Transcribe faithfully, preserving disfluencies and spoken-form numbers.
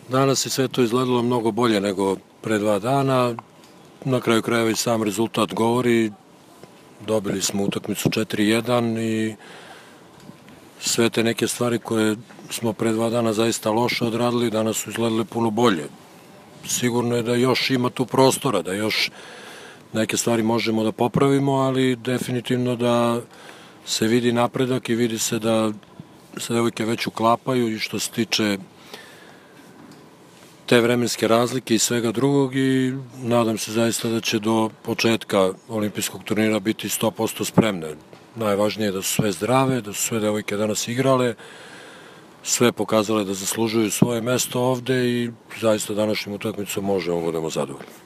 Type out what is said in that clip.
Danas je sve to izgledalo mnogo bolje nego pre dva dana. Na kraju krajeva i sam rezultat govori. Dobili smo utakmicu četiri jedan i sve te neke stvari koje smo pre dva dana zaista loše odradili, danas su izgledale puno bolje. Sigurno je da još ima tu prostora, da još neke stvari možemo da popravimo, ali definitivno da se vidi napredak i vidi se da se devojke već uklapaju i što se tiče te vremenske razlike i svega drugog i nadam se zaista da će do početka olimpijskog turnira biti sto posto spremne. Najvažnije je da su sve zdrave, da su sve devojke danas igrale, sve pokazale da zaslužuju svoje mesto ovde i zaista današnjim utakmicom možemo da budemo zadovoljni.